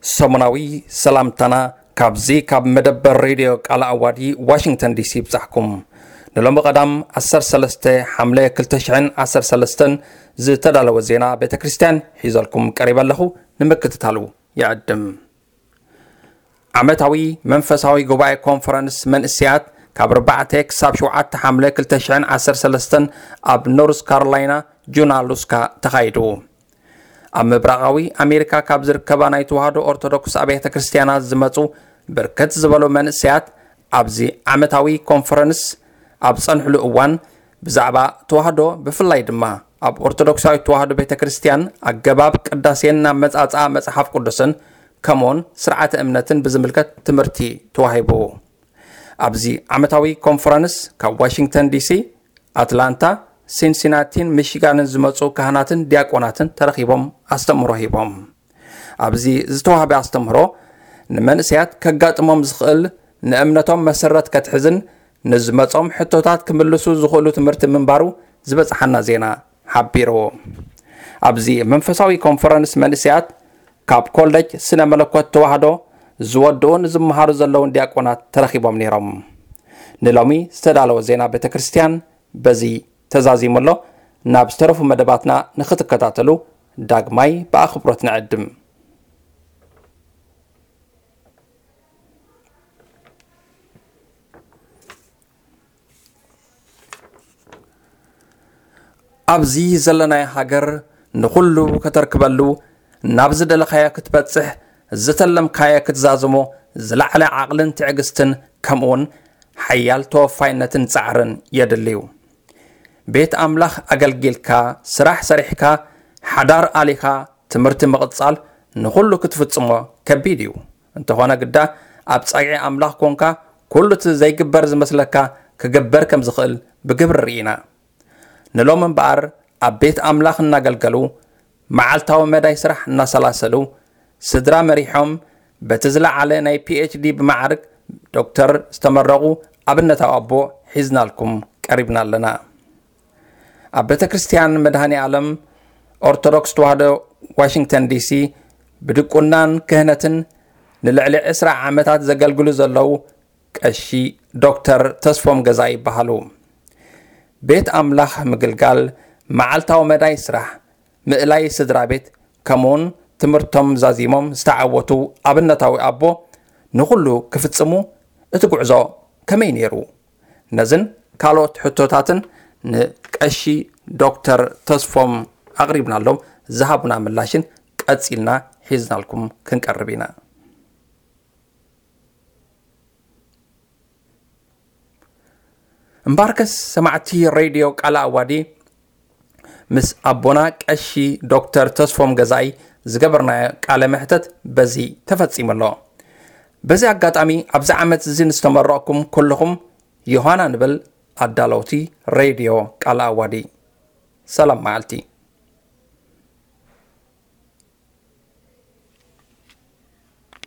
ሰሙናዊ ሰላምታና ካብዚ ካብ መደበር ሬድዮ ቃል ኣዋዲ ዋሽንግተን ዲሲ ይብጻሕኩም። ንሎሚ ቀዳም ዓሰርተ ሰለስተ ሓምለ ክልተ ሽሕን ዓሰርተ ሰለስተን ዝተዳለወ ዜና ቤተ ክርስቲያን ሒዘልኩም ቀሪበ ኣለኹ። ንምክትታሉ ይዕድም። ዓመታዊ መንፈሳዊ ጉባኤ ኮንፈረንስ መንእስያት ካብ ኣርባዕተ ክሳብ ሸውዓተ ሓምለ ክልተ ሽሕን ዓሰርተ ሰለስተን ኣብ ኖርዝ ካሮላይና ጁናሉስካ ተኻይዱ። ኣብ ምብራቓዊ ኣሜሪካ ካብ ዝርከባ ናይ ተዋህዶ ኦርቶዶክስ ኣብያተ ክርስቲያናት ዝመጹ ብርክት ዝበሉ መንእሰያት ኣብዚ ዓመታዊ ኮንፈረንስ ኣብ ጸንሕሉ እዋን ብዛዕባ ተዋህዶ ብፍላይ ድማ ኣብ ኦርቶዶክሳዊት ተዋህዶ ቤተ ክርስቲያን ኣገባብ ቅዳሴን ኣመጻጽኣ መጽሓፍ ቅዱስን ከምኡውን ስርዓተ እምነትን ብዝምልከት ትምህርቲ ተዋሂቡ። ኣብዚ ዓመታዊ ኮንፈረንስ ካብ ዋሽንግተን ዲሲ፣ ኣትላንታ፣ ሲንሲናቲን ሚሺጋንን ዝመጹ ካህናትን ዲያቆናትን ተረኺቦም ኣስተምህሮ ሂቦም። ኣብዚ ዝተዋህበ ኣስተምህሮ ንመንእሰያት ከጋጥሞም ዝኽእል ንእምነቶም መሰረት ከትሕዝን ንዝመጾም ሕቶታት ክምልሱ ዝኽእሉ ትምህርቲ ምንባሩ ዝበጽሓና ዜና ሓቢሩ። ኣብዚ መንፈሳዊ ኮንፈረንስ መንእሰያት ካብ ኮሌጅ ስነ መለኮት ተዋህዶ ዝወድኡን ዝመሃሩ ዘለውን ዲያቆናት ተረኺቦም ነይሮም። ንሎሚ ዝተዳለወ ዜና ቤተ ክርስቲያን በዚ ተዛዚሙ ኣሎ። ናብ ዝተረፉ መደባትና ንኽትከታተሉ ዳግማይ ብኣኽብሮት ንዕድም። ኣብዚ ዘለናዮ ሃገር ንኹሉ ከተርክበሉ፣ ናብ ዝደለኻዮ ክትበጽሕ፣ ዝተለምካዮ ክትዛዝሞ ዝለዓለ ዓቕልን ትዕግስትን ከምኡውን ሓያል ተወፋይነትን ጻዕርን የድልዩ። ቤት ኣምላኽ ኣገልጊልካ፣ ስራሕ ሰሪሕካ፣ ሓዳር ኣሊኻ፣ ትምህርቲ ምቕጻል ንኹሉ ክትፍጽሞ ከቢድ እዩ። እንተኾነ ግዳ ኣብ ጸግዒ ኣምላኽ ኮንካ ኩሉ እቲ ዘይግበር ዝመስለካ ክግበር ከም ዝኽእል ብግብሪ ርኢና። ንሎም እምበኣር ኣብ ቤት ኣምላኽ እናገልገሉ፣ መዓልታዊ መዳይ ስራሕ እናሰላሰሉ፣ ስድራ መሪሖም፣ በቲ ዝለዓለ ናይ ፒ ኤች ዲ ብማዕርግ ዶክተር ዝተመረቑ ኣብነታዊ ኣቦ ሒዝናልኩም ቀሪብና ኣለና። ኣብ ቤተ ክርስቲያን መድኃኔ ዓለም ኦርቶዶክስ ተዋህዶ ዋሽንግተን ዲሲ ብድቁናን ክህነትን ንልዕሊ ዕስራ ዓመታት ዘገልግሉ ዘለዉ ቀሺ ዶክተር ተስፎም ገዛ ይበሃሉ። ቤት ኣምላኽ ምግልጋል፣ መዓልታዊ መዳይ ስራሕ፣ ምእላይ ስድራ ቤት፣ ከምኡውን ትምህርቶም ዛዚሞም ዝተዓወቱ ኣብነታዊ ኣቦ ንኹሉ ክፍጽሙ እቲ ጉዕዞ ከመይ ነይሩ? ነዝን ካልኦት ሕቶታትን ንቀሺ ዶክተር ተስፎም ኣቕሪብናሎም፣ ዝሃቡና ምላሽን ቀጺልና ሒዝናልኩም ክንቀርብ ኢና። እምባርከስ ሰማዕቲ ሬድዮ ቃለ ኣዋዲ፣ ምስ ኣቦና ቀሺ ዶክተር ተስፎም ገዛኢ ዝገበርናዮ ቃለ መሕተት በዚ ተፈጺሙ ኣሎ። በዚ ኣጋጣሚ ኣብዚ ዓመት እዚ ንዝተመረቕኩም ኩልኹም ዮሃና ንብል ኣዳለውቲ ሬድዮ ቃለ ኣዋዲ። ሰላም መዓልቲ።